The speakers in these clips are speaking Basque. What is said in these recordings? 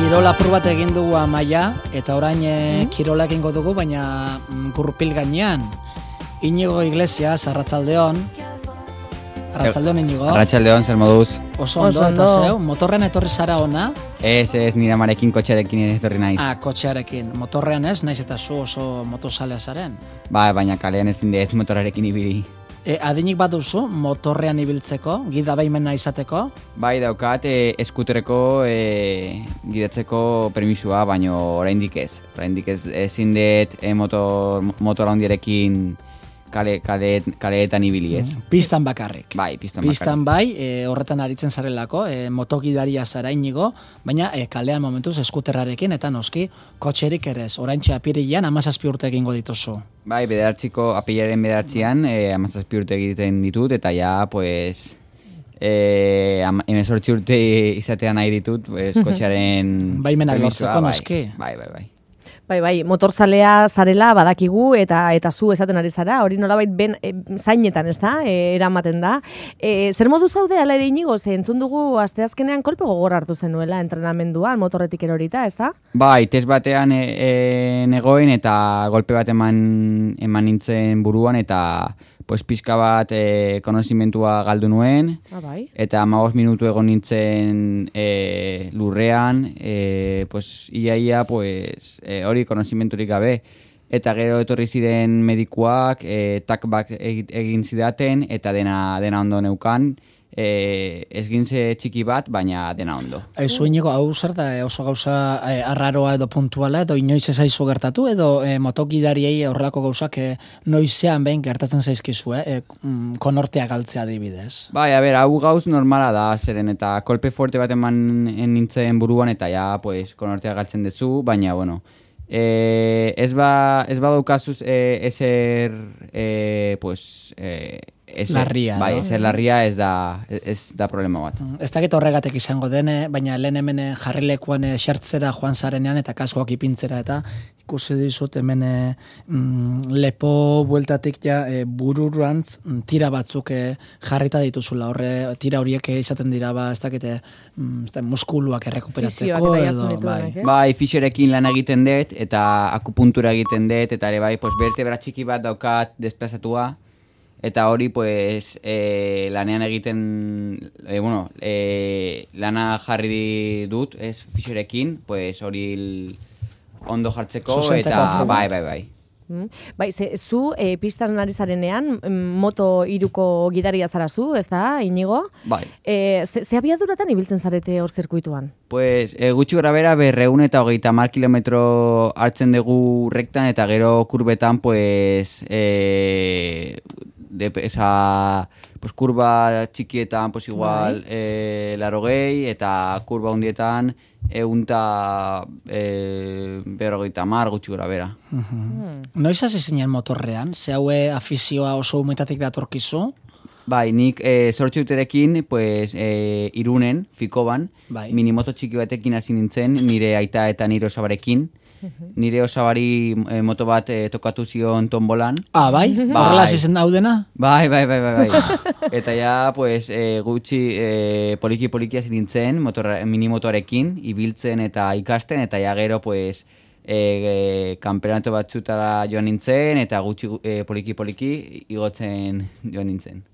Kirol apur bat egin dugu Amaia, eta orain kirola egingo dugu, baina gurpil gainean. Inigo Iglesias, arratsaldeon. Arratsaldeon, Inigo. Arratsaldeon, zer moduz? Oso ondo, eta zeu, motorrean etorri zara ona? Ez, nire amarekin kotxearekin etorri naiz. Kotxearekin. Motorrean ez, naiz eta zu oso motozalea zaren. Baina kalean ezin dut motorarekin ibili. Adinik baduzu motorrean ibiltzeko, gida baimena izateko? Bai, daukat, eskutereko gidatzeko permisua, baina oraindik ez. Oraindik ezin dut motor handiarekin kaleetan ibili ez. Pistan bakarrik. Bai, pistan bakarrik. Horretan aritzen zarelako, motogidaria zara Inigo, baina kalean momentuz eskuterrarekin eta noski kotxerik ere ez. Oraintxe apirilean 17 urte egingo dituzu. Bai, apilaren 9an 17 urte egiten ditut, eta ja, pues, 18 urte izatean nahi ditut, pues, kotxearen baimenak lortzeko noski. Bai, motorzalea zarela badakigu eta zu esaten ari zara, hori nolabait zainetan, ez da, eramaten da. Zer modu zaude ala ere Inigo, ze entzun dugu asteazkenean kolpe gogor hartu zenuela entrenamenduan, motorretik erorita, ez da? Bai, test batean negoen eta golpe bat eman nintzen buruan eta pues pizka bat konozimentua galdu nuen, bai. Eta 15 minutu egon nintzen lurrean, pues iaia pues hori konozimenturik gabe, eta gero etorri ziren medikuak, takbak egin zidaten, eta dena ondo neukan, ezgintze txiki bat, baina dena ondo. Zu Inigo, hau zer da oso gauza arraroa edo puntuala, edo inoiz ezaizu gertatu, edo motokidariei horrelako gauzak noizean behin gertatzen zaizkizu, konortea galtzea adibidez? Bai, hau gauz normala da, zeren eta kolpe forte bat eman nintzen buruan, eta ja, pues, konortea galtzen duzu, baina, bueno, ez badaukazuz ezer, pues, larria, bai, no? Ezer larria ez da problema bat. Ez dakit horregatek izango dene, baina lehen hemen jarrilekuan xertzera joan zarenean eta kaskoak ipintzera eta ikusi dizut hemen lepo bueltatik ja bururantz tira batzuk jarrita dituzula. Horre tira horiek izaten dira ez dakite muskuluak errekuperatzeko edo bai, fisiorekin lan egiten dut eta akupuntura egiten dut eta ere bai, pues vertebra txiki bat daukat desplazatua. Eta hori, pues, lanean egiten, lana jarri dut, fisiorekin, pues, hori ondo jartzeko, eta bai. Bai, zu pistan ari zarenean, moto 3ko gidaria zara zu, ez da, Inigo? Bai. Ze abiaduratan ibiltzen zarete hor zirkuituan? Pues, gutxi gora bera, 230 kilometro hartzen dugu rektan, eta gero kurbetan, pues, pues kurba txikietan pues igual 80 eta kurba hundietan 150 gutxi gora bera. Noiz hasi zinen motorrean? Ze haue afizioa oso umetatik datorkizu? Bai, nik sortxe uterekin, pues, Irunen, Fikoban, minimoto txiki batekin hasi nintzen, nire aita eta nire osabarekin. Nire osabari moto bat tokatu zion tombolan. Bai? Horrela zizen daudena? Bai. Eta ja, pues, gutxi poliki hasi nintzen, minimotoarekin, ibiltzen eta ikasten, eta ja gero, pues, kanpeonato batzutara joan nintzen, eta gutxi poliki igotzen joan nintzen.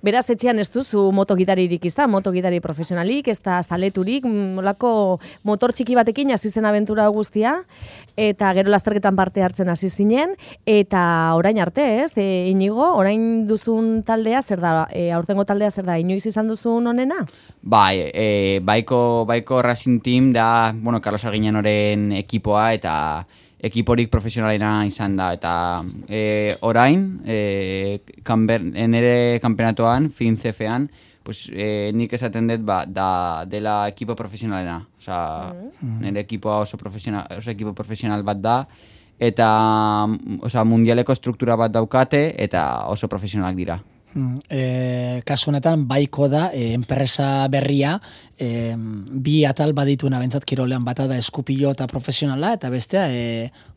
Beraz, etxean ez duzu motogidaririk izta, motogidari profesionalik, ez da zaleturik, molako motor txiki batekin hasi zen abentura guztia, eta gero lasterketan parte hartzen hasi zinen, eta orain arte, ez? Inigo, orain duzun taldea, zer da, aurtengo taldea zer da, inoiz izan duzun onena? Bai, baiko Racing Team da, Carlos Arguiñanoren ekipoa, eta ekiporik profesionalena izan da, eta orain, nire kanpenatoan, FinCF-an, pues, nik esaten dut dela ekipo profesionalena. Nire ekipoa oso ekipo profesional bat da, eta mundialeko struktura bat daukate, eta oso profesionalak dira. Kasu honetan baiko da enpresa berria bi atal badituena bentsat kirolean, bata da eskupilo eta profesionala eta bestea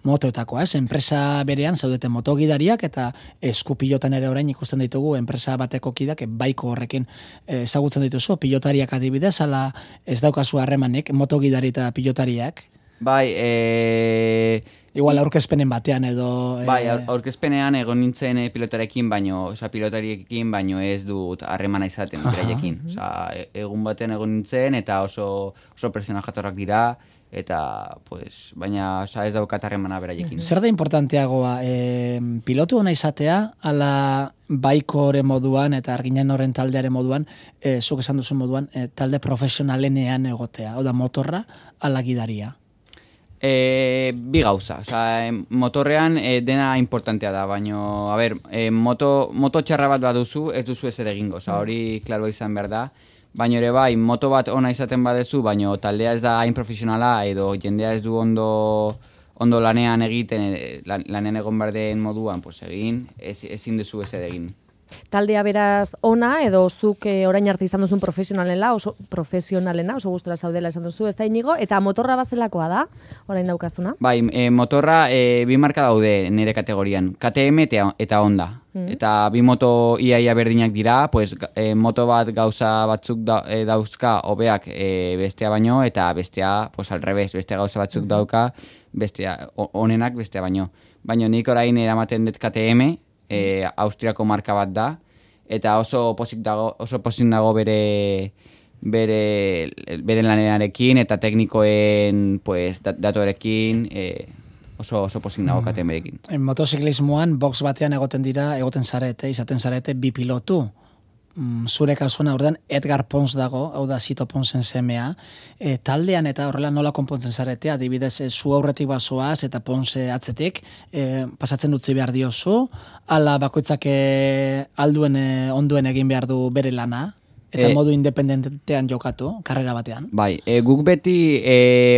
motoetakoa, enpresa berean zaudeten motogidariak eta eskupilotan ere orain ikusten ditugu enpresa bateko kidak baiko horrekin ezagutzen dituzu, pilotariak adibidez, ala ez daukazu harremanik motogidari eta pilotariak? Bai, igual aurkezpenen batean edo... Bai, aurkezpenean egon nintzen pilotariekin baino ez dut harremana izaten beraiekin. Egun batean egon nintzen eta oso persona jatorrak dira, eta baina ez daukat harremana beraiekin. Zer da importanteagoa, pilotu hona izatea, ala baikore moduan eta arginen horren taldearen moduan, zuk esan duzun moduan, talde profesionalenean egotea, oda motorra, ala gidaria? Bi gauza, motorrean dena importantea da, baina, moto txarra bat baduzu, ez duzu ez ere egingo, hori klaro izan behar da, baina ere bai, moto bat ona izaten badezu, baina taldea ez da hain profesionala, edo jendea ez du ondo lanean egiten, lanean egon behar den moduan, egin, ezin duzu ez ere egin. Taldea beraz ona, edo zuk orain arte izan duzun profesionalena, oso gustora zaudela esan duzu, ez da Inigo, eta motorra bazelakoa da, orain daukaztuna? Bai, motorra bi marka daude nire kategorian, KTM eta Honda. Eta bi moto iaia berdinak dira, moto bat gauza batzuk dauzka hobeak bestea baino, eta bestea, al revés, bestea gauza batzuk dauka, bestea onenak bestea baino. Baina nik orain eramaten dut KTM, Austriako marka bat da, eta oso pozik dago bere lanenarekin eta teknikoen datorekin oso pozik dago KTM-rekin. Motoziklismoan box batean izaten zarete bi pilotu. Zure kasuan aurdan Edgar Pons dago, hau da Zito Ponsen semea, taldean eta horrela nola konpontzen zaretea, adibidez zu aurretik bazoaz eta Ponse atzetik, pasatzen utzi behar diozu, ala bakoitzak alduen onduen egin behar du bere lana, eta modu independentean jokatu, karrera batean. Bai, guk beti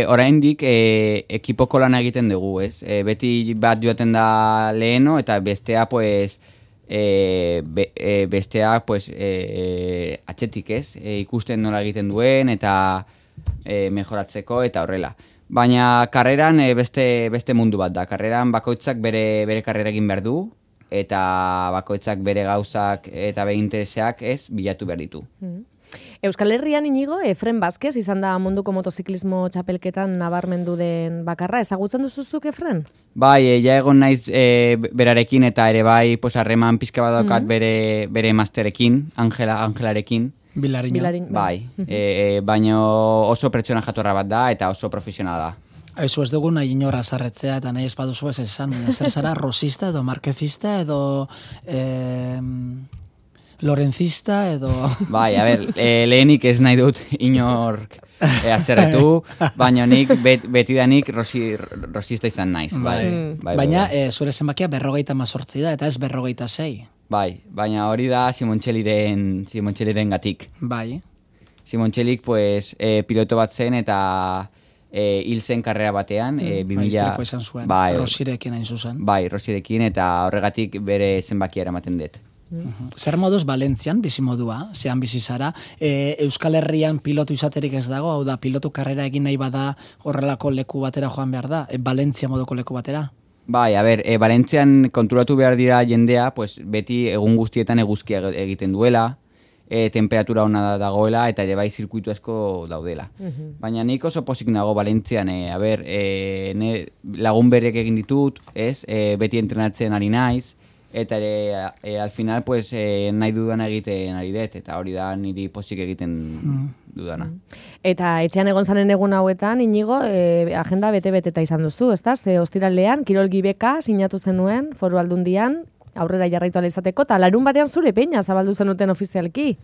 oraindik ekipoko lana egiten dugu, ez? Beti bat joaten da leheno eta bestea, besteak atzetik ez, ikusten nola egiten duen eta mejoratzeko eta horrela. Baina karreran beste mundu bat da. Karreran bakoitzak bere karrera egin behar du eta bakoitzak bere gauzak eta bere intereseak ez bilatu behar ditu. Euskal Herrian Inigo, Efren Vázquez izan da munduko motoziklismo txapelketan nabarmendu den bakarra. Ezagutzen duzuzuk Efren? Bai, ja egon naiz berarekin eta ere bai harreman pizka badaukat bere masterekin, Angelarekin. Bilariño. Bai, baina oso pertsona jatorra bat da eta oso profesionala da. Ez dugu nahi inorra zarretzea eta nahi ez baduzu ez esan, zer zara rosista edo markezista edo lorenzista edo... Bai, lehenik ez nahi dut inork azerretu, baina nik betidanik rosista izan naiz. Baina zure zenbakia 58 da eta ez 56. Bai, baina hori da Simontxeliren gatik. Bai. Simontxelik piloto bat zen eta hil zen karrera batean. Istripo izan zuen, Rosirekin hain zuzen. Bai, Rosirekin eta horregatik bere zenbakia eramaten dut. Zer moduz Valentzian bizimodua, zean bizi zara, Euskal Herrian pilotu izaterik ez dago, hau da pilotu karrera egin nahi bada horrelako leku batera joan behar da, Valentzia moduko leku batera? Bai, Valentzian konturatu behar dira jendea, beti egun guztietan eguzkia egiten duela, temperatura ona dagoela eta bai zirkuitu asko daudela. Baina nik oso pozik nago Valentzian, lagun berek egin ditut, beti entrenatzen ari naiz, eta al final nahi dudana egiten ari dut, eta hori da niri pozik egiten dudana. Eta etxean egon zanen egun hauetan, Inigo, agenda bete-beteta izan duzu, ezta? Ze ostiralean, Kirol Gibeka sinatu zenuen, Foru Aldundian, aurrera jarraitu ala izateko, eta larun batean zure peina zabaldu zenuten ofizialki.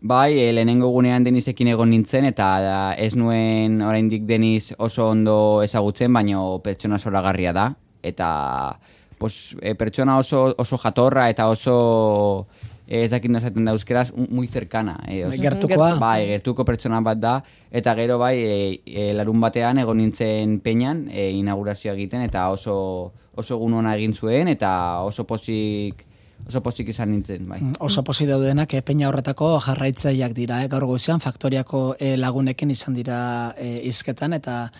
Bai, lehenengo gunean Denisekin egon nintzen, eta ez nuen oraindik Denis oso ondo ezagutzen, baina pertsona zoragarria da, eta pertsona oso jatorra eta oso ez dakit nozaten da euskeraz, muy cercana. Gertukoa? Bai, gertuko pertsona bat da, eta gero larun batean egon nintzen peñan inaugurazioa egiten, eta oso egun ona egin zuen, eta oso pozik oso pozik izan nintzen, bai. Oso pozik daudenak peña horretako jarraitzaileak dira, gaur goizean faktoriako lagunekin izan dira hizketan eta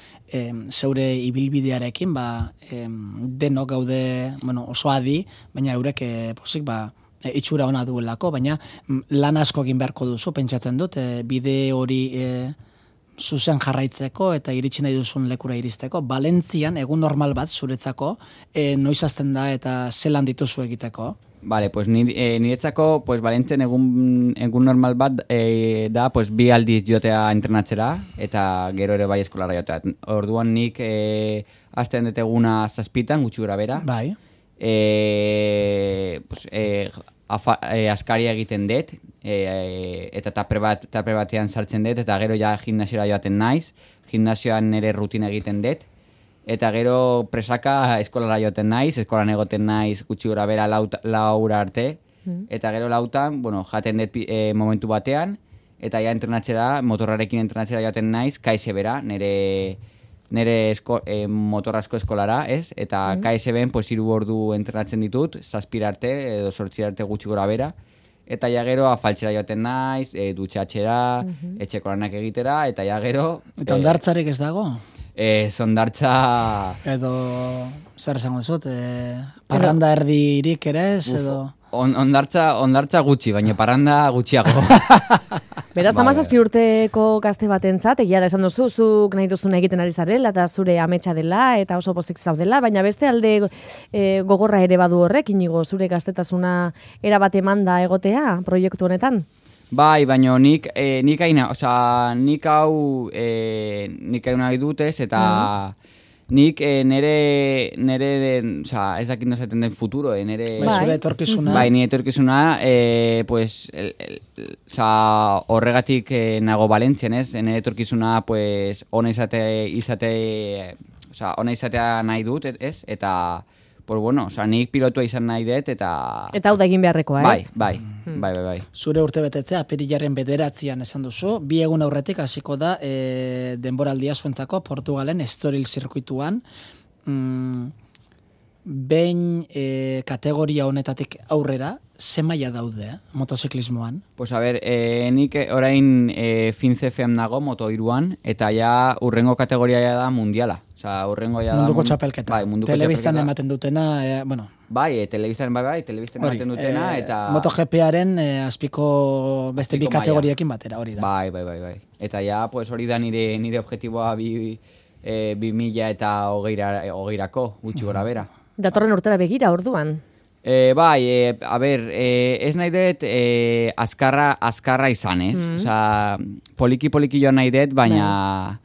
zeure ibilbidearekin denok gaude, oso adi, baina eurek pozik itxura ona duelako, baina lan asko egin beharko duzu, pentsatzen dut, bide hori zuzen jarraitzeko eta iritsi nahi duzun lekura iristeko. Valentzian egun normal bat zuretzako noiz hasten da eta zelan dituzu egiteko? Vale, pues niretzako, pues Valentzian egun normal bat da, pues 2 aldiz jotea entrenatzera eta gero ere bai eskolara jotea. Orduan nik hasten dut eguna 7 gutxi gora bera. Bai. Askaria egiten dut, eta taper batean sartzen dut, eta gero ja gimnasioa joaten naiz, gimnasioan nire rutina egiten dut, eta gero presaka eskolara joaten naiz, eskolan egoten naiz gutxi gora bera 4 arte, eta gero 4, jaten dut momentu batean, eta ja motorrarekin entrenatzera joaten naiz, kaise bera, nire motorrazko eskolara, ez? Eta KSB-en, 3 ordu entrenatzen ditut, 7 arte, edo 8 arte gutxi gora bera, eta ja gero afaltzera joaten naiz, dutxatxera, etxeko lanak egitera, eta ja gero... Eta ondartzarik ez dago? Ondartza... Edo, zer esango zut, parranda erdirik ere ez, edo... Ondartza gutxi, baina parranda gutxiago. Beraz, 17 urteko gazte batentzat, egia da esan duzu, zuk nahi duzuna egiten ari zarela, eta zure ametsa dela, eta oso pozik zaudela, baina beste alde gogorra ere badu horrek, Inigo, zure gaztetasuna erabat emanda egotea proiektu honetan? Bai, baina nik hau nahi dutez, eta nik nere ez dakit nozaten den futuro, nere... Bai, zure etorkizuna. Bai, nire etorkizuna, horregatik nago Valentzian, ez? Nire etorkizuna, ona izatea nahi dut, ez? Eta, nik pilotua izan nahi dut, eta... Eta hau da egin beharrekoa, ez? Bai. Zure urte betetzea, apirilaren 9 esan duzu, 2 egun aurretik hasiko da denboraldia zuentzako Portugalen Estoril zirkuituan. Behin kategoria honetatik aurrera, ze maila daude motoziklismoan? Pues a ver, nik orain FINCEF-ean nago Moto3an, eta ja urrengo kategoria da mundiala. Munduko txapelketa. Bai, telebistan ematen dutena, Bai, telebistan ematen dutena, eta... MotoGP-aren azpiko beste bi kategoriakin batera, hori da. Bai. Eta ja, hori da nire objektiboa 2020-ko, gutxi gora bera. Datorren urtera begira, orduan? Bai, ez nahi dut azkarra izan, ez? Poliki joan nahi dut, baina...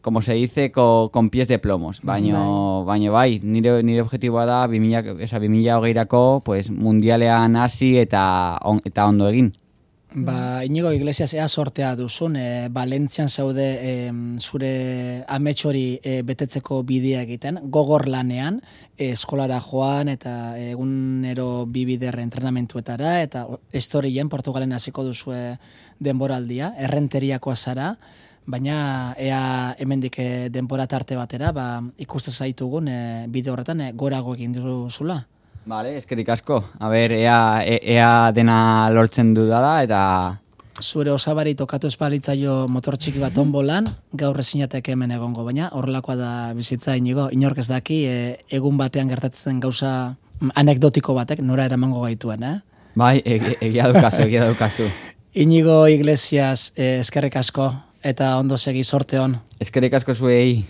como se dice, con pies de plomos. Baina bai, nire objektiboa da 2020-ko mundialean hasi eta ondo egin. Inigo Iglesias, ea sortea duzun, Valentzian zaude zure amets hori betetzeko bidea egiten, gogor lanean, eskolara joan eta egunero 2 bider entrenamentuetara, eta Estorien Portugalen hasiko duzue denboraldia, errenteriakoa zara, baina ea hemendik denbora tarte batera, ikuste zaitugun bide horretan gorago egin duzula. Vale, eskerrik asko. A ber, ea dena lortzen dudala, eta... Zure osabari tokatu espalitzaio motor txiki bat onbolan, gaur ezinateke hemen egongo, baina horrelakoa da bizitza, Inigo, inork ez daki, egun batean gertatzen gauza anekdotiko batek, nora eramango gaituen, Bai, egia daukazu. Inigo Iglesias, eskerrik asko, eta ondo segi, sorte on. Eskerrik asko zuei.